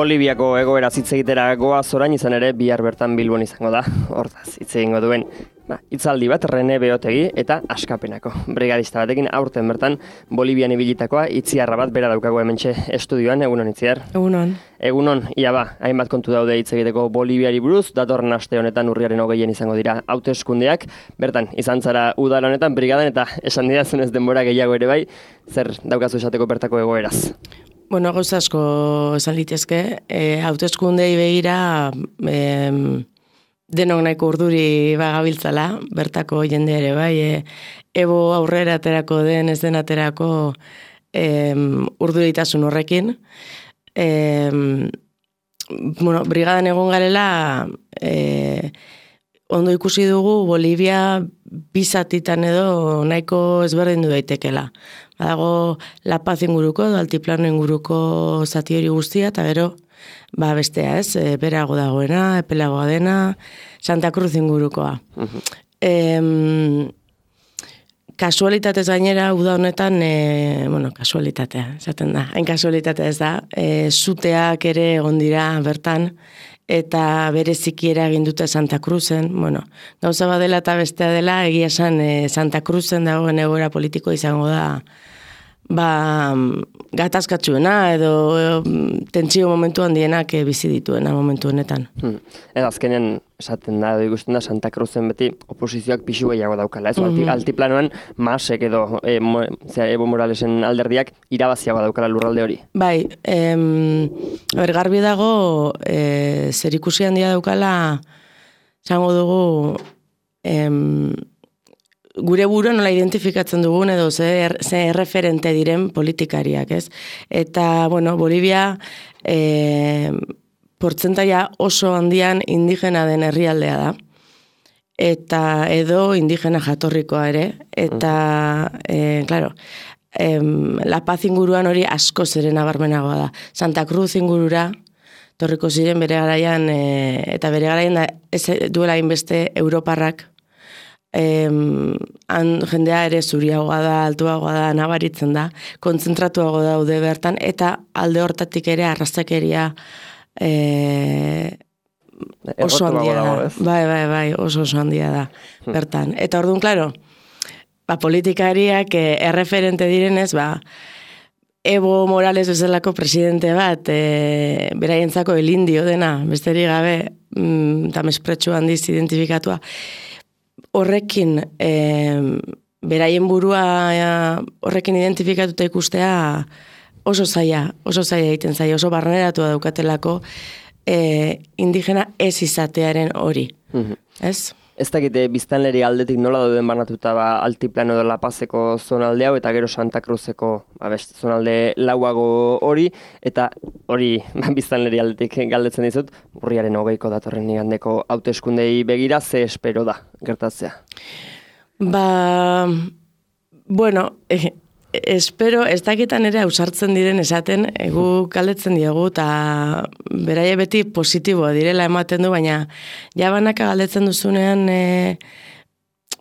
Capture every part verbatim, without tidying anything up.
Boliviako egoera hitz egitera goaz orain, izan ere bihar bertan Bilbon izango da. Hortaz hitz egingo duen ba, hitzaldi bat Rene Beotegi eta Askapenako brigadista batekin aurten bertan Bolivian ibilitakoa Itziarra bat bera daukago hementxe estudioan. Egunon Itziar. Egunon. Egunon, ia ba, hainbat kontu daude hitz egiteko Boliviari buruz, datorren aste honetan urriaren hogeien izango dira hauteskundeak. Bertan, izan zara udal honetan brigadan eta esan didazunez denbora gehiago ere bai, zer daukazu esateko bertako egoeraz? Bueno, gauza asko esan litezke, e, hauteskundei begira e, denok nahiko urduri bagabiltzala, bertako jende ere bai, e, ebo aurrera aterako den, ez den aterako e, urduritasun horrekin. E, bueno, brigadan egon garela, e, ondo ikusi dugu Bolivia bizatitan edo nahiko ezberdin du daitekela. Badago La Paz inguruko, Altiplano inguruko zati hori guztia, eta gero, ba bestea ez, e, berago dagoena, epelagoa dena, Santa Cruz ingurukoa. Uh-huh. E, kasualitatez gainera, uda honetan, e, bueno, kasualitatea, esaten da, hain kasualitatea ez da, e, zuteak ere egon dira bertan, eta bereziki egin dute Santa Cruzen, bueno, gauza badela eta bestea dela, egia esan e, Santa Cruzen dagoen egoera politiko izango da, ba, gatazkatsuena edo e, tentsio momentu handienak e, bizi dituena momentu honetan. Hmm. Eta azkenean, esaten da, edo ikusten da, Santa Cruzen beti oposizioak pixu gehiago daukala, ez? Mm-hmm. Altiplanoan, Masek edo e, mo, zera, Evo Moralesen alderdiak irabaziago daukala lurralde hori. Bai, em, ber, garbi dago, e, zer ikusi handia daukala, zango dugu, em, gure buru nola identifikatzen dugun edo ze, ze erreferente diren politikariak, ez? Eta, bueno, Bolivia e, portzentaia oso handian indigena den herrialdea da. Eta edo indigena jatorrikoa ere. Eta, e, claro, em, La Paz inguruan hori asko zeren abarmenagoa da. Santa Cruz ingurura, torriko ziren bere garaian, e, eta bere garaian da, ez duela inbeste Europarrak, Em, han, jendea ere zuriagoa da, altuagoa da, nabaritzen da, kontzentratuago daude bertan, eta alde hortatik ere arrazakeria e, oso handia da. Bai, bai, bai, oso oso handia da bertan. Eta orduan, klaro, ba, politikariak e, erreferente direnez, ba, Evo Morales bezalako presidente bat, e, beraientzako el indio dena, besterik gabe, mm, eta mespretxu handiz identifikatua, horrekin e, beraien burua e, horrekin identifikatuta ikustea oso zaila, oso zaila egiten zaila, oso barneratua daukatelako e, indigena ez izatearen hori. Mm-hmm. Ez? Ez dakite biztanleri aldetik nola dauden banatuta ba, Altiplano edo La Pazeko zonalde hau eta gero Santa Cruzeko ba, beste zonalde lauago hori, eta hori ba, biztanleri aldetik galdetzen dizut, urriaren hogeiko datorren igandeko hauteskundei begira, ze espero da gertatzea? Ba, bueno, eh, espero, ez dakitan ere ausartzen diren esaten, egu galdetzen diegu, eta beraie beti positiboa direla ematen du, baina jabanaka galdetzen duzunean e,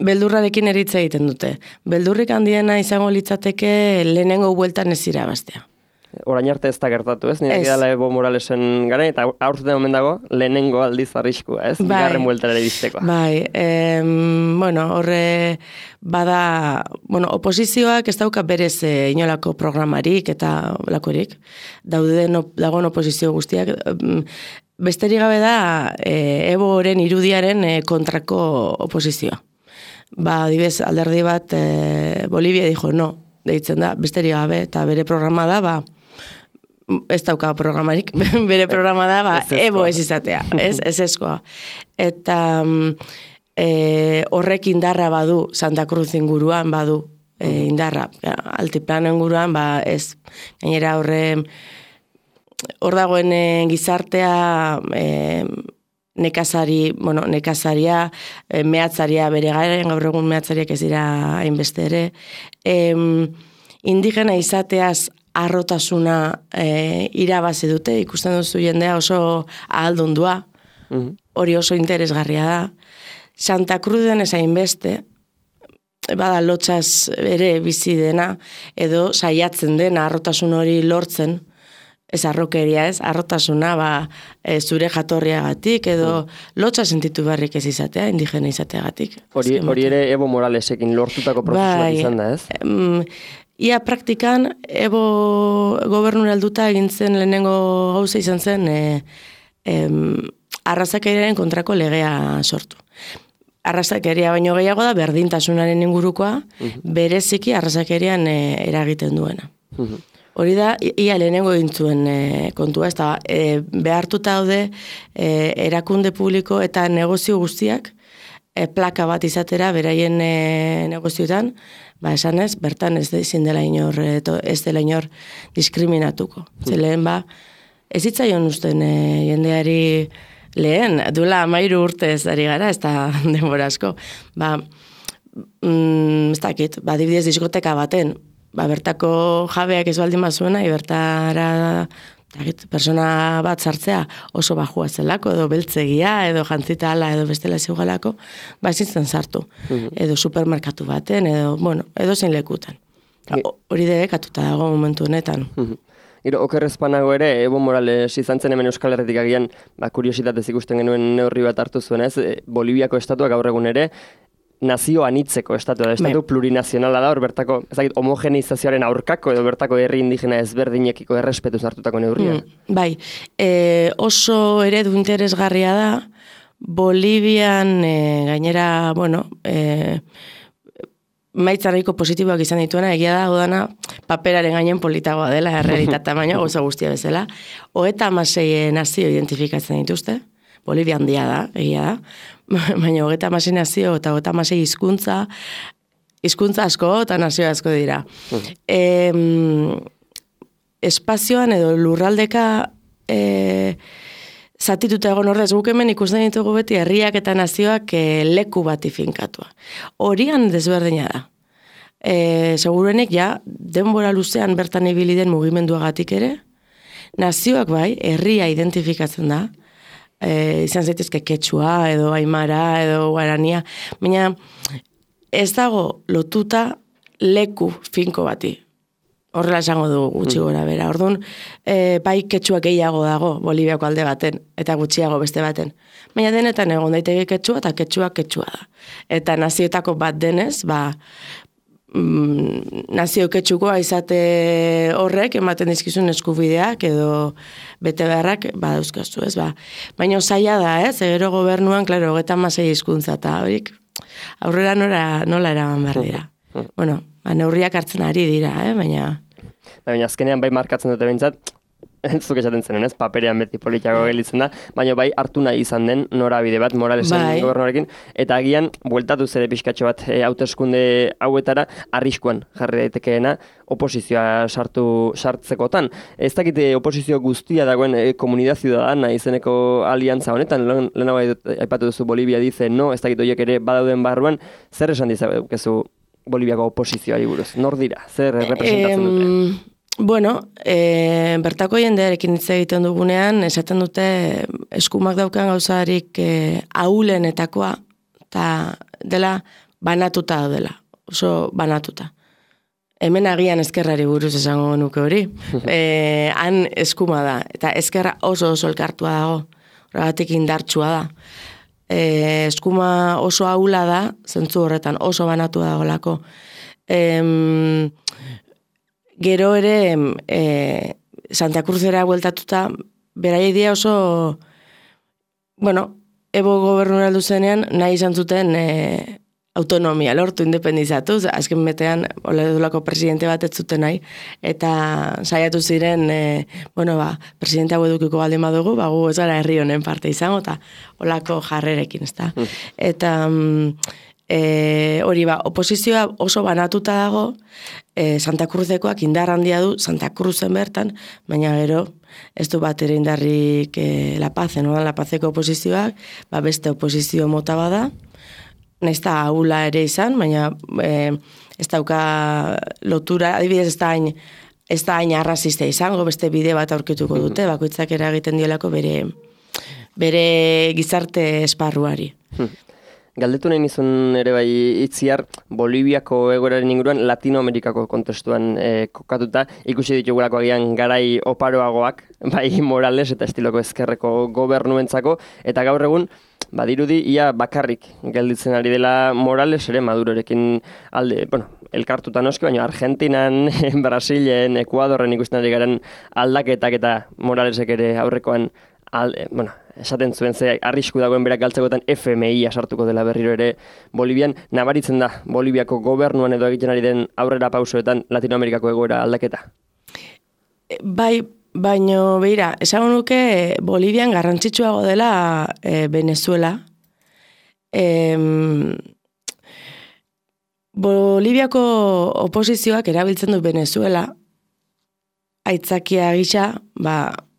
beldurrarekin eritza egiten dute. Beldurrik handiena izango litzateke lehenengo bueltan ez irabaztea. Orain arte ez da gertatu, ez? Nire dela Evo Moralesen gara, eta aurten omen dago lehenengo aldiz arriskua, ez? Bai, bigarren bueltara ere biztekoa. Bai, em, bueno, horre bada, bueno, oposizioak ez dauka berez e, inolako programarik eta lakorik, daude no, dagoen oposizio guztiak, besterik gabe da e, Evo oren irudiaren e, kontrako oposizioa. Ba, adibez, alderdi bat e, Bolivia dijo, no, deitzen da, besterik gabe, eta bere programa da, ba, ez dauka programarik, bere programa da, ba, Evo ez izatea, ez, ez eskoa. Eta e, horrek indarra badu, Santa Cruz inguruan badu e, indarra, Altiplano inguruan, ba, ez, gainera horre, hor dagoen e, gizartea, e, nekazari, bueno, nekazaria, e, mehatzaria bere garen, gaur egun mehatzariak ez dira hainbeste ere, e, indigena izateaz arrotasuna e, irabazi dute, ikusten duzu jendea oso ahaldundua, mm-hmm. hori oso interesgarria da. Santa Cruzen ezain beste, bada lotxaz ere bizi dena, edo saiatzen dena arrotasun hori lortzen, ez arrokeria ez, arrotasuna, ba, e, zure jatorriagatik, edo lotxa sentitu beharrik ez izatea, indigena izateagatik. Hori, hori ere Evo Moralesekin lortutako prozesu bat izan da, ez? Em, ia praktikan, Evo gobernura helduta egin zen lehenengo gauza izan zen, e, em, arrazakeriaren kontrako legea sortu. Arrazakeria baino gehiago da, berdintasunaren ingurukoa, bereziki arrazakerian e, eragiten duena. Hori da, ia lehenengo egin zuen e, kontua, ez da, e, behartuta daude e, erakunde publiko eta negozio guztiak e, plaka bat izatera beraien e, negozioetan, ba esanez, bertan ez ezin dela inor, e, to, ez dela inor diskriminatuko. Mm. Zelen ba, ez hitzaion usten e, jendeari lehen, duela amairu urte ez ari gara, ez da denbora asko. Ba, mm, ez dakit, ba, dibidez diskoteka baten, ba, bertako jabeak ez baldin bazuena, bertara dakit, persona bat sartzea oso bajua zelako, edo beltzegia, edo jantzita ala, edo bestela zeugalako, ba, ezintzen sartu. Uh-huh. Edo supermerkatu baten, edo, bueno, edo zein lekutan. Hori debekatuta dago momentu honetan. Uh-huh. Gero, okerrezpanago ere, Evo Morales izan zen hemen Euskal Herritik agian, ba, kuriositatez ikusten genuen neurri bat hartu zuen, ez? Boliviako estatuak gaur egun ere, nazio anitzeko estatua da, estatu plurinazionala da, hor bertako, ezagit, homogeneizazioaren aurkako edo bertako herri indigena ezberdinekiko errespetuz hartutako neurria. Mm, bai, e, oso eredu interesgarria da, Bolivian e, gainera, bueno, e, maitzarriko positiboak izan dituena, egia da, odana, paperaren gainen politagoa dela, errealitatea baina, goza guztia bezala. Hogeita hamasei nazio identifikatzen dituzte, Bolivia handia da, egia da, baina hogeita hamasei nazio eta hogeita hamasei hizkuntza, hizkuntza asko eta nazio asko dira. Uh-huh. E, espazioan edo lurraldeka e, zatituta egon ordez, guk hemen ikusten ditugu beti herriak eta nazioak e, leku bati finkatua. Horian desberdina da. E, segurenek ja, denbora luzean bertan ibili den mugimenduagatik ere, nazioak bai, herria identifikatzen da, e, izan zaitezke Quechua, edo Aimara, edo Guarania, baina ez dago lotuta leku finko bati. Horrela esango du gutxi gora bera. Orduan, e, bai Quechua gehiago dago Boliviako alde baten, eta gutxiago beste baten. Baina denetan egon daiteke Quechua, eta Quechua Quechua da. Eta nazioetako bat denez, ba, mm, nazio Quechukoa izate horrek, ematen dizkizun eskubideak, edo bete beharrak, ba, dauzkazu, ez, ba. Baina zaila da, ez, gero gobernuan, klaro, hogeita hamasei hizkuntza, eta horik, aurrera nola, nola eraman behar dira. Bueno, ba, neurriak hartzen ari dira, eh, baina... Baina azkenean bai markatzen dute behintzat, zuk esaten zen, ez, paperean beti politiako gelitzen da, baina bai hartu nahi izan den norabide bat Moralesen bai. Gobernuarekin, eta agian, bueltatu zere pixkatxo bat e, hauteskunde hauetara, arriskuan jarri daitekeena oposizioa sartu sartzekotan. Ez dakite oposizio guztia dagoen e, Comunidad Ciudadana izeneko aliantza honetan, lehenago aipatu duzu Bolivia dice no, ez dakit horiek ere badauden barruan, zer esan dizakezu Boliviako oposizioari buruz? Nor dira? Zer representatzen dute? Bueno, e, bertako jendearekin hitz egiten dugunean, esaten dute eskumak daukan gauzarik e, ahulenetakoa, eta dela banatuta dela, oso banatuta. Hemen agian ezkerrari buruz esango nuke hori. E, han eskuma da, eta ezkerra oso oso elkartua dago, horregatik indartsua da. E, eskuma oso ahula da, zentzu horretan oso banatu dagolako. Em, gero ere e, Santa Cruzera bueltatuta, berai dia oso, bueno, Evo gobernura aldu zenean, nahi izan zuten e, autonomia lortu, independizatuz, azken betean, oledulako presidente bat ez zuten nahi, eta saiatu ziren, e, bueno, ba, presidente hau edukiko baldin badugu, ba, gu ez gara herri honen parte izango, eta olako jarrerekin, ez da. Mm. Eta e, hori ba, oposizioa oso banatuta dago, e, Santa Cruzekoak indar handia du, Santa Cruzen bertan, baina gero, ez du bat ere indarrik e, La Paz, no? La Pazeko oposizioak, ba, beste oposizio mota bada, nahiz da ahula ere izan, baina e, ez dauka lotura, adibidez ez da hain, ez da hain arrazista izango, beste bide bat aurkituko dute, bakoitzak eragiten diolako bere, bere gizarte esparruari. Galdetu nahi nizun ere bai Itziar, Boliviako egoeraren inguruan Latinoamerikako kontestuan e, kokatuta, ikusi ditugulako agian garai oparoagoak, bai Morales eta estiloko ezkerreko gobernuentzako, eta gaur egun, badirudi ia bakarrik gelditzen ari dela Morales ere Madurorekin alde, bueno, elkartuta noski, baina Argentinan, Brasilen, Ekuadorren ikusten ari garen aldaketak eta Moralesek ere aurrekoan alde, bueno, esaten zuen ze arrisku dagoen berak galtzekoetan F M I sartuko dela berriro ere Bolivian, nabaritzen da Boliviako gobernuan edo egiten ari den aurrera pausoetan Latinoamerikako egoera aldaketa? Bai, baino beira, esango nuke Bolivian garrantzitsuago dela e, Venezuela. E, Boliviako oposizioak erabiltzen du Venezuela aitzakia gisa, ba,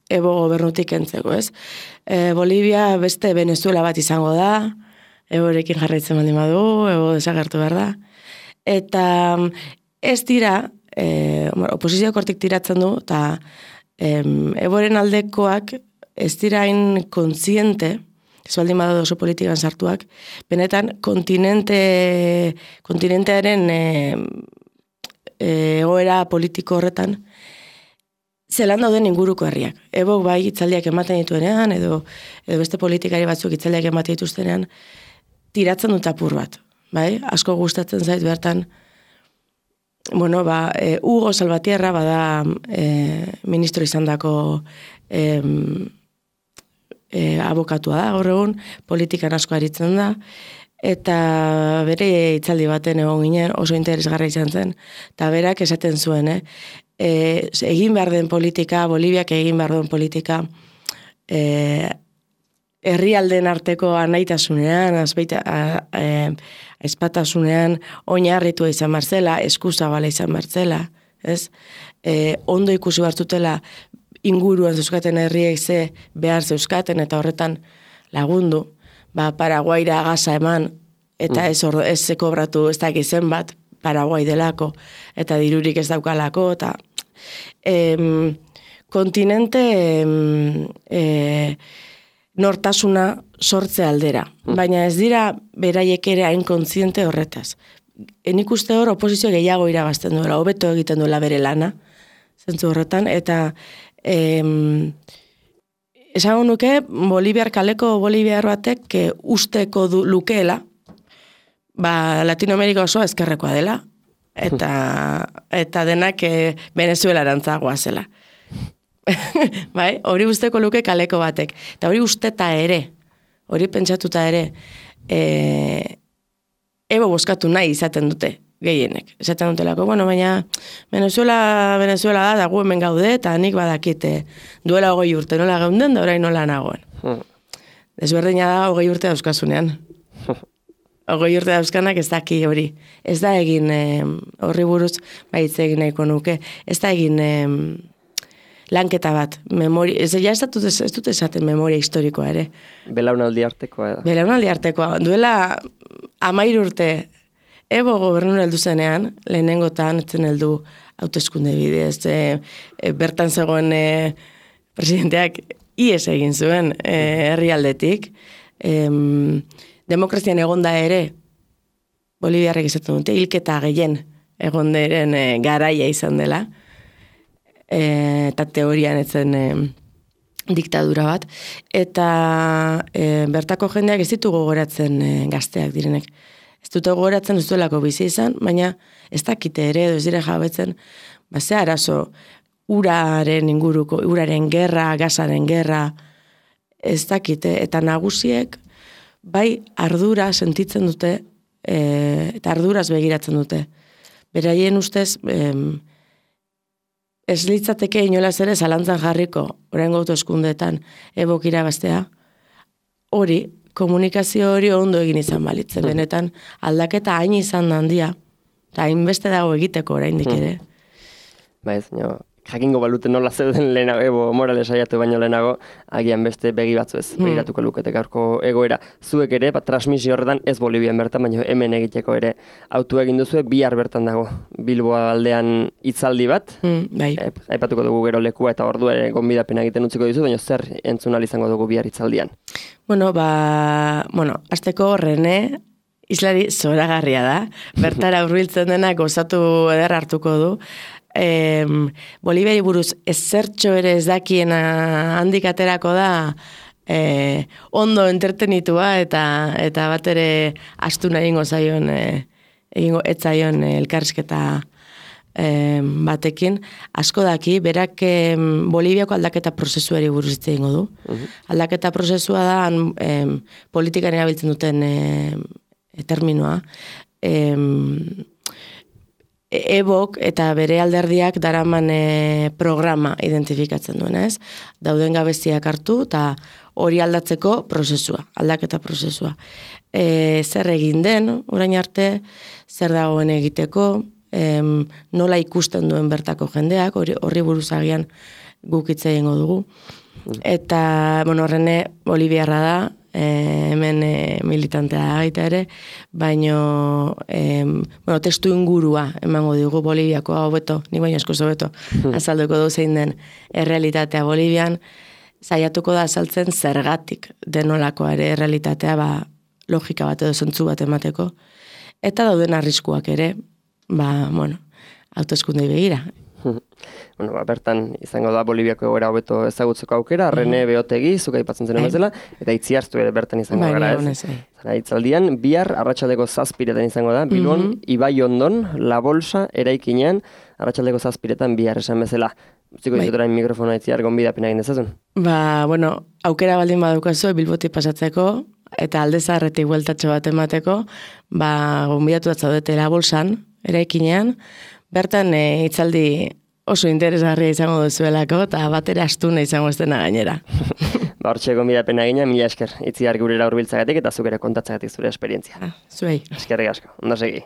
Ebo gobernutik entzeko, ez? E, Bolivia beste Venezuela bat izango da, Eborekin jarraitzen baldin badu, Ebo desagertu behar da. Eta ez dira, e, oposizioak hortik tiratzen du, eta em, Eboren aldekoak ez dira hain kontziente, ez baldin badu oso politikan sartuak, benetan kontinente, kontinentearen e, e, egoera politiko horretan, zelan dauden inguruko herriak. Ebok bai hitzaldiak ematen dituenean, edo, edo beste politikari batzuk hitzaldiak ematen dituztenean, tiratzen dut apur bat. Bai? Asko gustatzen zait bertan, bueno, ba, e, Hugo Salvatierra bada e, ministro izan dako e, e, abokatua da, gaur egun, politikan asko aritzen da, eta bere hitzaldi baten egon ginen, oso interesgarra izan zen, eta berak esaten zuen, eh? E, egin behar den politika, Boliviak egin behar den politika, e, herrialden arteko anaitasunean, azbeita, a, e, aizpatasunean, oinarritua izan barzela, eskuzabala izan barzela, ez? E, ondo ikusi bartutela inguruan zeuskaten herriek ze behar zeuskaten, eta horretan lagundu, ba, Paraguaira gaza eman, eta ez, ordo, ez kobratu, ez da gizen bat, Paraguai delako, eta dirurik ez daukalako, eta em, kontinente em, e, nortasuna sortze aldera. Baina ez dira beraiek ere hain kontziente horretaz. Enik uste hor oposizio gehiago irabazten duela, hobeto egiten duela bere lana, zentzu horretan, eta em, esango nuke, Boliviar kaleko Boliviar batek que usteko du, lukeela, ba, Latinoamerika oso ezkerrekoa dela, eta, eta denak e, Venezuela erantzagoa zela. Bai, hori usteko luke kaleko batek. Eta hori usteta ere, hori pentsatuta ere, e, ebo boskatu nahi izaten dute, gehienek. Esaten dutelako, bueno, baina Venezuela, Venezuela da, da gu hemen gaude, eta nik badakite duela hogei urte nola geunden, da orain nola nagoen. Desberdina da hogei urte dauzkasunean. Hogei urte dauzkanak ez daki hori. Ez da egin eh, horri buruz, baitz egin nahiko nuke, ez da egin eh, lanketa bat. Memori, ez, ja ez, dut, ez dut esaten memoria historikoa ere. Belaunaldi artekoa da. Belaunaldi artekoa. Duela amair urte Ebo gobernura heldu zenean, lehenengotan etzen heldu hauteskunde bidez, e, e, bertan zegoen e, presidenteak ies egin zuen e, herrialdetik. E, Demokrazian egonda ere, Boliviarrek izaten dute, hilketa gehien egonderen e, garaia izan dela, e, eta teorian etzen e, diktadura bat, eta e, bertako jendeak ez ditu gogoratzen e, gazteak direnek. Ez dute gogoratzen ez duelako bizi izan, baina ez dakite ere, edo ez dire jabetzen, ba, ze arazo, uraren inguruko, uraren gerra, gazaren gerra, ez dakite, eta nagusiek, bai ardura sentitzen dute, e, eta arduraz begiratzen dute. Beraien ustez, e, ez litzateke inolaz ere zalantzan jarriko, oraingo hauteskundeetan ebok irabaztea, hori, komunikazio hori ondo egin izan balitzen, benetan aldaketa hain izan handia, eta hainbeste dago egiteko oraindik ere. Ba ez, no, jakingo baluten nola zeuden lehenago, Ebo Morales aiatu baino lehenago, agian beste begi batzu ez, begiratuko lukete gaurko egoera. Zuek ere, bat transmisio horretan, ez Bolivian bertan, baina hemen egiteko ere autu egin duzue, bihar bertan dago, Bilboa aldean hitzaldi bat, mm, bai. e, aipatuko dugu gero lekua eta ordua ere gonbidapen egiten utziko dizu, baina zer entzun ahal izango dugu bihar hitzaldian? Bueno, ba, bueno, azteko Rene, islari zoragarria da, bertara hurbiltzen dena gozatu eder hartuko du. E, Boliviari buruz ezertxo ere ez dakiena handik aterako da, e, ondo entretenitua eta eta bat ere astuna egingo zaion, e, egingo etzaion elkarrizketa e, batekin. Asko daki, berak e, Boliviako aldaketa prozesuari buruz hitz egingo du. Uh-huh. Aldaketa prozesua da, e, politikan erabiltzen duten e, terminoa, em, ebok eta bere alderdiak daraman e, programa identifikatzen duen, ez? Dauden gabeziak hartu eta hori aldatzeko prozesua, aldaketa prozesua. E, zer egin den, orain arte, zer dagoen egiteko, em, nola ikusten duen bertako jendeak, hori, horri buruzagian guk hitz egingo dugu. Eta, bueno, Rene Boliviarra da, E, hemen e, militantea gaita ere, baino e, bueno, testu ingurua emango digu Boliviako hau beto, nik baino esko zobeto azalduko du zein den errealitatea Bolivian, saiatuko da azaltzen zergatik denolakoa ere errealitatea, ba, logika bat edo zentzu bat emateko, eta dauden arriskuak ere, ba, bueno, autoeskundei begira. Bueno, ba, bertan izango da Boliviako egoera hobeto ezagutzeko aukera, Rene Beotegi, zuk aipatzen zen bezala, eta Itziartu ere bertan izango bai, gara, ez? Zara, itzaldian, bihar arratsaldeko zazpiretan izango da, Bilbon, mm-hmm. Ibaiondon, La Bolsa, eraikinean, arratsaldeko zazpiretan bihar esan bezala. Utziko bai. Izutorain mikrofona Itziar, gonbidapena egin dezazun? Ba, bueno, aukera baldin badukazu, Bilbotik pasatzeko, eta alde zaharretik bueltatxo bat emateko, ba, gonbidatu bat zaudete La Bolsan, eraikinean, bertan e, itzaldi oso interesgarria izango duzuelako, eta batera astuna izango ez dena gainera. Ba, hortxe gonbidapena egina, mila esker, Itziar gurera hurbiltzagatik eta zuk ere kontatzagatik zure esperientzia. Zuei. Eskerrik asko, ondo segi.